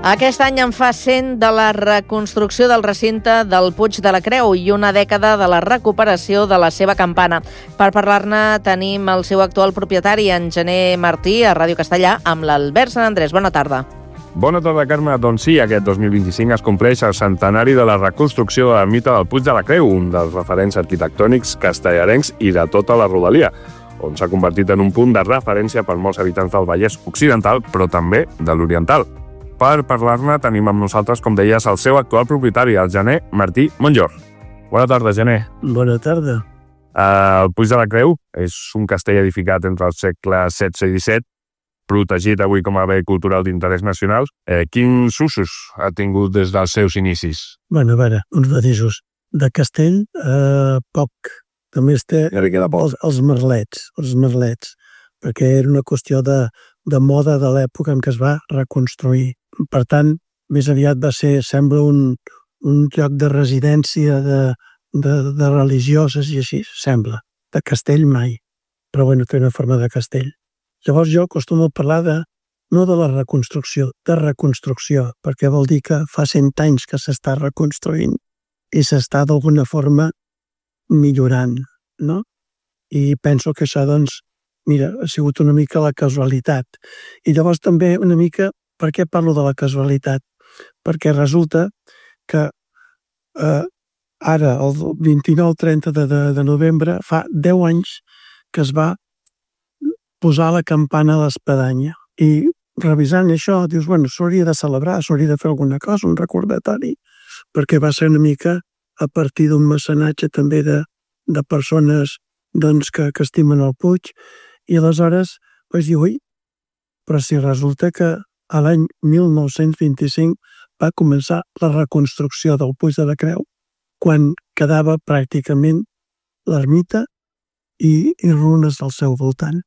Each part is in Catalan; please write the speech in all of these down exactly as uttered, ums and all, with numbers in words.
Aquest any en fa cent de la reconstrucció del recinte del Puig de la Creu i una dècada de la recuperació de la seva campana. Per parlar-ne tenim el seu actual propietari, en Gener Martí, a Ràdio Castellà, amb l'Albert Sant Andrés. Bona tarda. Bona tarda, Carme. Doncs sí, aquest dos mil vint-i-cinc es compleix el centenari de la reconstrucció de l'ermita del Puig de la Creu, un dels referents arquitectònics castellarencs i de tota la rodalia, on s'ha convertit en un punt de referència per molts habitants del Vallès Occidental, però també de l'Oriental. Per parlar-ne tenim amb nosaltres, com deies, el seu actual propietari, el Gener Martí Monjor. Bona tarda, Gener. Bona tarda. Uh, el Puig de la Creu és un castell edificat entre els segles setze i disset, protegit avui com a bé cultural d'interès nacional. Eh, quins usos ha tingut des dels seus inicis? Bueno, a veure, uns matisos. De castell, eh, poc. Només té els, els merlets, els merlets, perquè era una qüestió de, de moda de l'època en què es va reconstruir. Per tant, més aviat va ser, sembla, un, un lloc de residència de, de, de religioses i així, sembla. De castell mai, però bueno, té una forma de castell. Llavors jo acostumo a parlar de, no de la reconstrucció, de reconstrucció, perquè vol dir que fa cent anys que s'està reconstruint i s'està d'alguna forma millorant, no? I penso que això, doncs, mira, ha sigut una mica la casualitat. I llavors també una mica, per què parlo de la casualitat? Perquè resulta que eh, ara, el vint-i-nou trenta de, de, de novembre, fa deu anys que es va posar la campana a l'espadanya. I revisant això, dius, bueno, s'hauria de celebrar, s'hauria de fer alguna cosa, un recordatori, perquè va ser una mica a partir d'un mecenatge també de, de persones doncs, que, que estimen el Puig, i aleshores vaig dir, ui, però si resulta que a l'any mil nou-cents vint-i-cinc va començar la reconstrucció del Puig de la Creu, quan quedava pràcticament l'ermita i, i runes al seu voltant.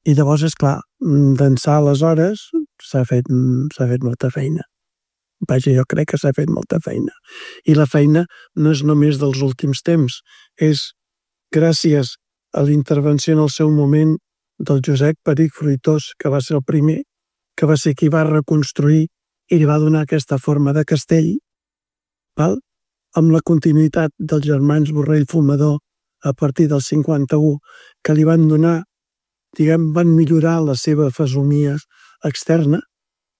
I llavors, és clar, d'ençà aleshores s'ha fet, s'ha fet molta feina. Vaja, jo crec que s'ha fet molta feina. I la feina no és només dels últims temps, és gràcies a la intervenció en el seu moment del Josep Perich Fruitós, que va ser el primer, que va ser qui va reconstruir i li va donar aquesta forma de castell, val? Amb la continuïtat dels germans Borrell Fumador a partir del cinquanta-u, que li van donar, diguem, van millorar la seva fesomia externa.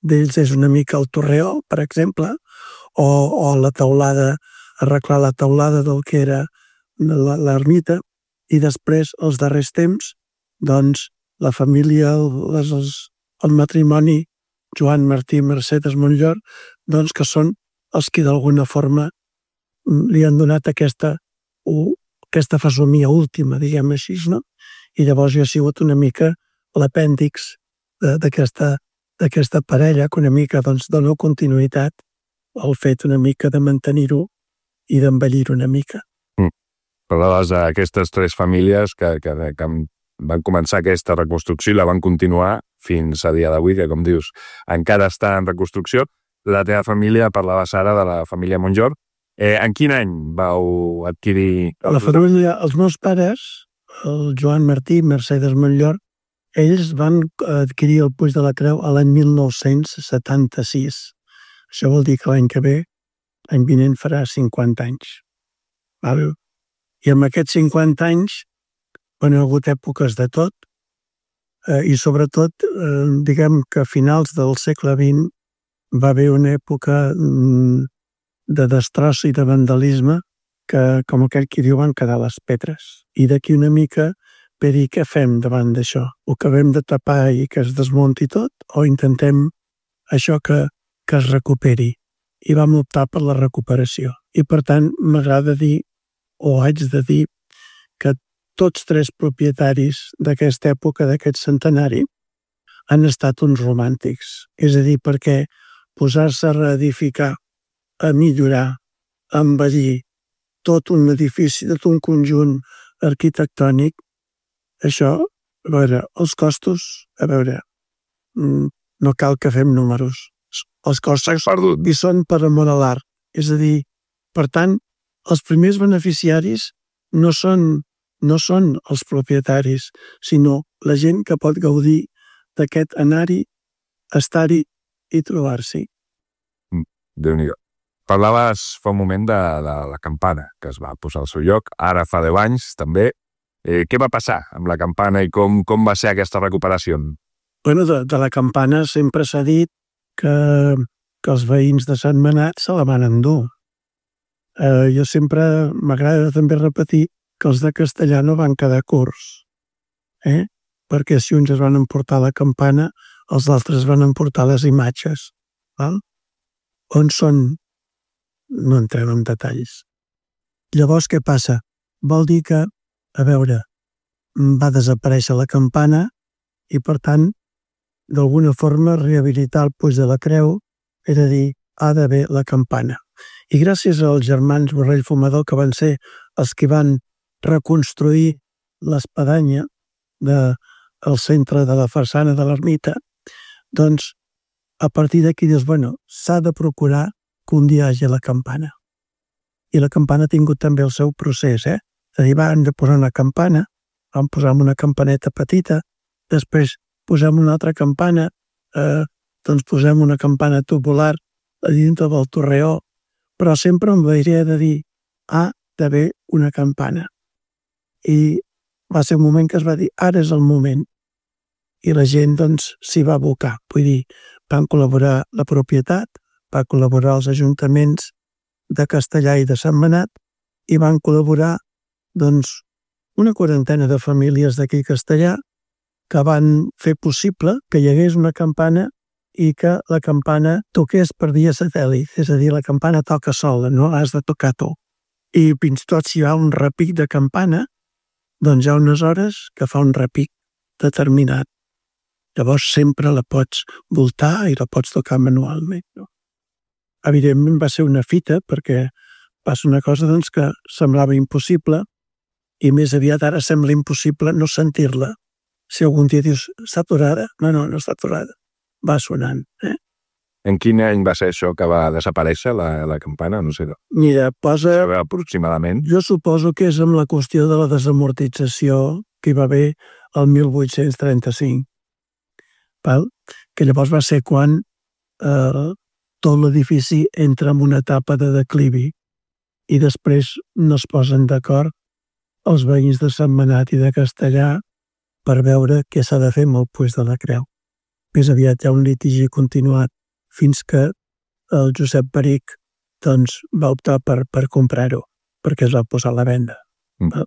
D'ells és una mica el torreó, per exemple, o, o la teulada, arreglar la teulada del que era l'ermita, i després, els darrers temps, doncs, la família, les, els, el matrimoni Joan Martí i Mercedes Monjor, doncs que són els que d'alguna forma li han donat aquesta, uh, aquesta fesomia última, diguem així, no? I llavors jo he sigut una mica l'apèndix d'aquesta d'aquesta parella, que una mica doncs, dona continuïtat al fet una mica de mantenir-ho i d'embellir-ho una mica. Mm. Parlaves d'aquestes tres famílies que, que, que van començar aquesta reconstrucció i la van continuar fins a dia d'avui, que com dius, encara està en reconstrucció. La teva família, parlaves ara de la família Monjor. Eh, en quin any vau adquirir... La família, els meus pares, el Joan Martí i Mercedes Monjor, ells van adquirir el Puig de la Creu a l'any mil nou-cents setanta-sis. Això vol dir que l'any que ve, l'any vinent, farà cinquanta anys. Val? I amb aquests cinquanta anys van haver hagut èpoques de tot, eh, i sobretot, eh, diguem que a finals del segle vint va haver una època mm, de destroç i de vandalisme que, com aquell qui diu, van quedar les pedres. I d'aquí una mica per dir què fem davant d'això? Ho acabem de tapar i que es desmunti tot o intentem això que, que es recuperi? I vam optar per la recuperació. I per tant m'agrada dir, o haig de dir, que tots tres propietaris d'aquesta època, d'aquest centenari, han estat uns romàntics. És a dir, perquè posar-se a reedificar, a millorar, a embellir tot un edifici, tot un conjunt arquitectònic, això, a veure, els costos, a veure, no cal que fem números. Els costos hi són per amor a l'art. És a dir, per tant, els primers beneficiaris no són, no són els propietaris, sinó la gent que pot gaudir d'aquest anar-hi, estar-hi i trobar-s'hi. Déu-n'hi-do. Parlaves fa un moment de, de la campana, que es va posar al seu lloc, ara fa deu anys també. Eh, què va passar amb la campana i com, com va ser aquesta recuperació? Bueno, de, de la campana sempre s'ha dit que, que els veïns de Sentmenat se la van endur. Eh, jo sempre m'agrada també repetir que els de Castellar no van quedar curts, eh? Perquè si uns es van emportar la campana, els altres van emportar les imatges. Val? On són? No entrem en detalls. Llavors, què passa? Vol dir que, a veure, va desaparèixer la campana i, per tant, d'alguna forma, rehabilitar el Puig de la Creu era dir, ha d'haver la campana. I gràcies als germans Borrell Fumador, que van ser els que van reconstruir l'espadanya del centre de la façana de l'ermita, doncs, a partir d'aquí dius, bueno, s'ha de procurar que un dia hi hagi la campana. I la campana ha tingut també el seu procés, eh? És a dir, van de posar una campana, vam posar una campaneta petita, després posem una altra campana, eh, doncs posem una campana tubular a dintre del torreó, però sempre amb la idea de dir, ha d'haver una campana. I va ser un moment que es va dir, ara és el moment. I la gent, doncs, s'hi va abocar. Vull dir, van col·laborar la propietat, va col·laborar els ajuntaments de Castellar i de Sentmenat i van col·laborar, doncs, una quarantena de famílies d'aquí a Castellar que van fer possible que hi hagués una campana i que la campana toqués per via satèl·lit, és a dir, la campana toca sola, no has de tocar tu. I fins i tot si hi ha un repic de campana, doncs hi ha unes hores que fa un repic determinat. Llavors sempre la pots voltar i la pots tocar manualment. No? Evidentment va ser una fita perquè passa una cosa doncs, que semblava impossible i més aviat ara sembla impossible no sentir-la. Si algun dia dius, està aturada? No, no, no està aturada. Va sonant. Eh? En quin any va ser això que va desaparèixer la, la campana? No sé. Mira, posa... aproximadament. Jo suposo que és amb la qüestió de la desamortització que hi va haver el mil vuit-cents trenta-cinc. Val? Que llavors va ser quan eh, tot l'edifici entra en una etapa de declivi i després no es posen d'acord els veïns de Sentmenat i de Castellar per veure què s'ha de fer amb el Puig de la Creu. Més aviat hi ha un litigi continuat fins que el Josep Peric doncs, va optar per, per comprar-ho, perquè es va posar a la venda. Mm.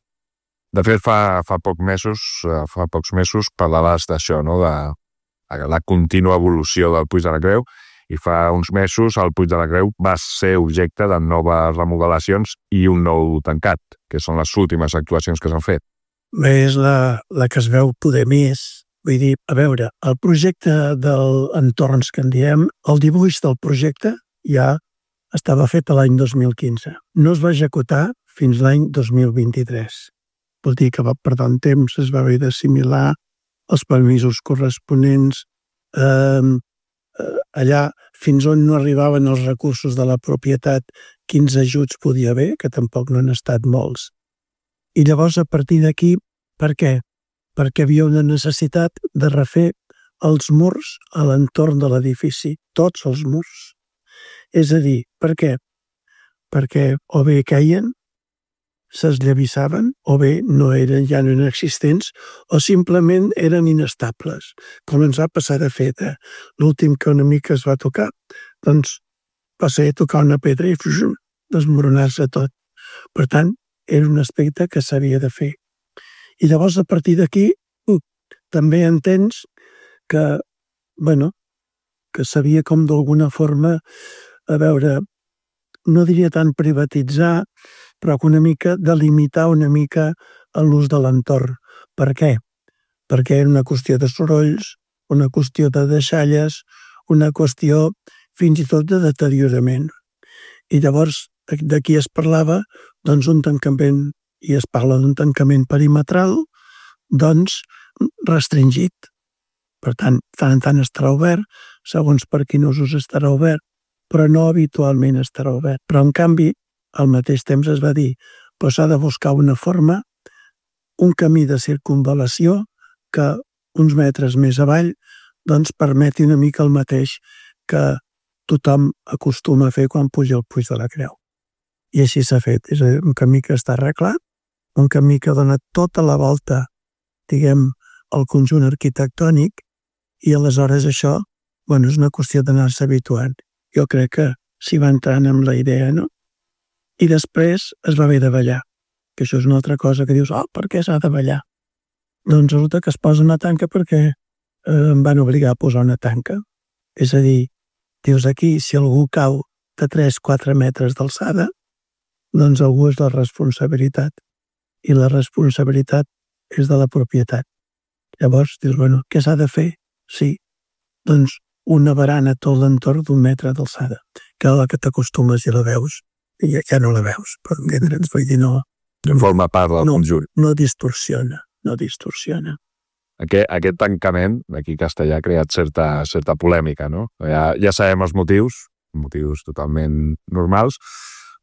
De fet, fa, fa, poc mesos, fa pocs mesos parlaves d'això, no? De la contínua evolució del Puig de la Creu, i fa uns mesos el Puig de la Creu va ser objecte de noves remodelacions i un nou tancat, que són les últimes actuacions que s'han fet. Bé, és la, la que es veu poder més. Vull dir, a veure, el projecte dels entorns que en diem, el dibuix del projecte ja estava fet l'any dos mil quinze. No es va executar fins l'any dos mil vint-i-tres. Vol dir que va perdre un temps, es va haver d'assimilar els permisos corresponents, eh, allà fins on no arribaven els recursos de la propietat, quins ajuts podia haver, que tampoc no han estat molts. I llavors, a partir d'aquí, per què? Perquè havia una necessitat de refer els murs a l'entorn de l'edifici, tots els murs. És a dir, per què? Perquè o bé queien, s'esllevissaven, o bé no eren, ja no eren existents, o simplement eren inestables, com ens va passar a fer. L'últim que una mica es va tocar, doncs va ser tocar una pedra i desmoronar-se tot. Per tant, era un aspecte que s'havia de fer. I llavors, a partir d'aquí, també entens que, bueno, que s'havia com d'alguna forma, a veure, no diria tant privatitzar, però que una mica delimitar una mica l'ús de l'entorn. Per què? Perquè era una qüestió de sorolls, una qüestió de deixalles, una qüestió fins i tot de deteriorament. I llavors d'aquí es parlava doncs un tancament, i es parla d'un tancament perimetral, doncs restringit. Per tant, tant en tant estarà obert, segons per quin usos estarà obert, però no habitualment estarà obert. Però, en canvi, al mateix temps es va dir que s'ha de buscar una forma, un camí de circunvalació que uns metres més avall doncs permeti una mica el mateix, que tothom acostuma a fer quan puja al Puig de la Creu. I així s'ha fet. És un camí que està arreglat, un camí que dona tota la volta, diguem, al conjunt arquitectònic, i aleshores això, bueno, és una qüestió d'anar-se habituant. Jo crec que s'hi va entrant amb la idea, no? I després es va haver de ballar, que això és una altra cosa que dius, oh, per què s'ha de ballar? Doncs resulta que es posa una tanca perquè eh, em van obligar a posar una tanca. És a dir, dius aquí, si algú cau de tres a quatre metres d'alçada, doncs algú és la responsabilitat. I la responsabilitat és de la propietat. Llavors, dius, bueno, què s'ha de fer? Sí, doncs una barana tot l'entorn d'un metre d'alçada. Cada que t'acostumes i la veus, i ja no la veus, però entendre'ns, vull dir, no... No forma part del no, conjunt. No distorsiona, no distorsiona. Aquest, aquest tancament, aquí a Castellar, ha creat certa, certa polèmica, no? Ja, ja sabem els motius, motius totalment normals,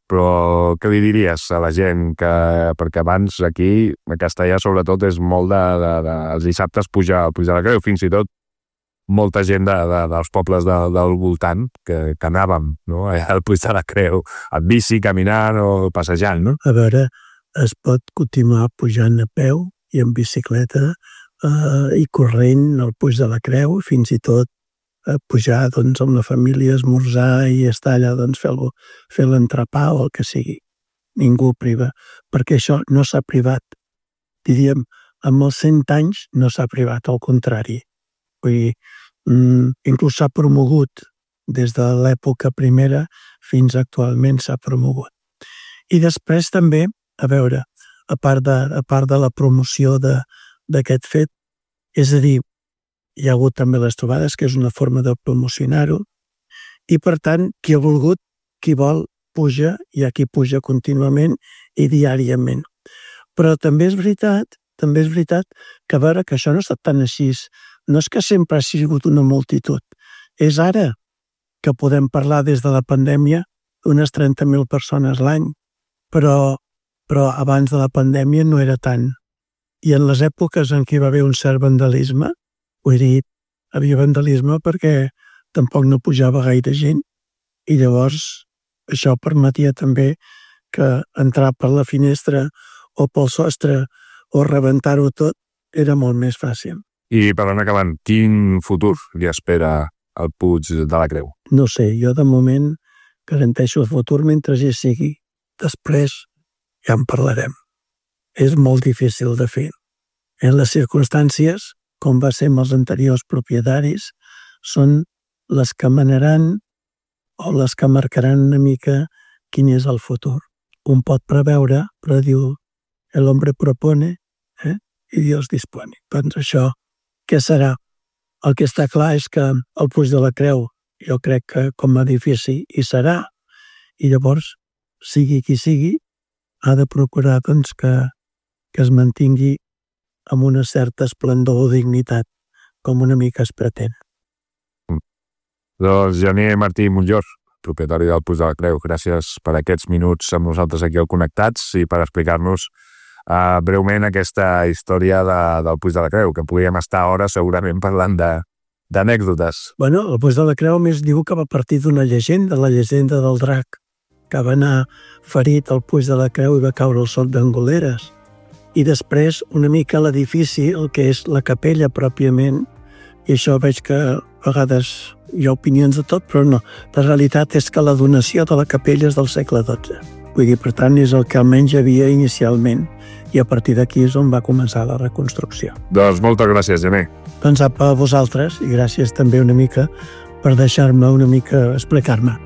però què li diries a la gent? Que, perquè abans aquí, a Castellar, sobretot, és molt de, de, de... Els dissabtes pujar al Puig de la Creu, fins i tot molta gent de, de, dels pobles de, del voltant que, que anàvem, no? Al Puig de la Creu, amb bici, caminant o passejant, no? A veure, es pot continuar pujant a peu i en bicicleta eh, i corrent al Puig de la Creu, fins i tot eh, pujar doncs, amb la família, esmorzar i estar allà, doncs, fer, fer l'entrepà o el que sigui. Ningú priva, perquè això no s'ha privat. Diríem, amb els cent anys no s'ha privat, al contrari. Vull dir, mm, inclús s'ha promogut des de l'època primera fins actualment s'ha promogut. I després també, a veure, a part de, a part de la promoció d'aquest fet, és a dir, hi ha hagut també les trobades, que és una forma de promocionar-ho, i per tant, qui ha volgut, qui vol, puja, i aquí puja contínuament i diàriament. Però també és veritat, també és veritat que a veure que això no ha estat tan així. No és que sempre ha sigut una multitud. És ara que podem parlar des de la pandèmia d'unes trenta mil persones l'any, però, però abans de la pandèmia no era tant. I en les èpoques en què hi va haver un cert vandalisme, ho he dit, havia vandalisme perquè tampoc no pujava gaire gent i llavors això permetia també que entrar per la finestra o pel sostre o rebentar-ho tot era molt més fàcil. I per anar acabant, quin futur li espera al Puig de la Creu? No sé, jo de moment garanteixo el futur mentre hi sigui. Després ja en parlarem. És molt difícil de fer. En les circumstàncies, com va ser amb els anteriors propietaris, són les que manaran o les que marcaran una mica quin és el futur. Un pot preveure, però diu, el hombre propone eh? i Dios dispone. Doncs això, què serà? El que està clar és que el Puig de la Creu, jo crec que com a edifici hi serà, i llavors, sigui qui sigui, ha de procurar doncs, que, que es mantingui amb una certa esplendor o dignitat, com una mica es pretén. Mm. Doncs Gener Martí Montllor, propietari del Puig de la Creu, gràcies per aquests minuts amb nosaltres aquí al Connectats i per explicar-nos Uh, breument aquesta història de, del Puig de la Creu, que podríem estar hores segurament parlant d'anècdotes. Bueno, el Puig de la Creu més diu que va partir d'una llegenda, la llegenda del drac, que va anar ferit al Puig de la Creu i va caure al sot d'Angoleres. I després una mica l'edifici, el que és la capella pròpiament, i això veig que a vegades hi ha opinions de tot, però no. La realitat és que la donació de la capella és del segle dotze. Vull dir, per tant, és el que almenys hi havia inicialment i a partir d'aquí és on va començar la reconstrucció. Doncs moltes gràcies, Gener. Doncs a vosaltres i gràcies també una mica per deixar-me una mica explicar-me.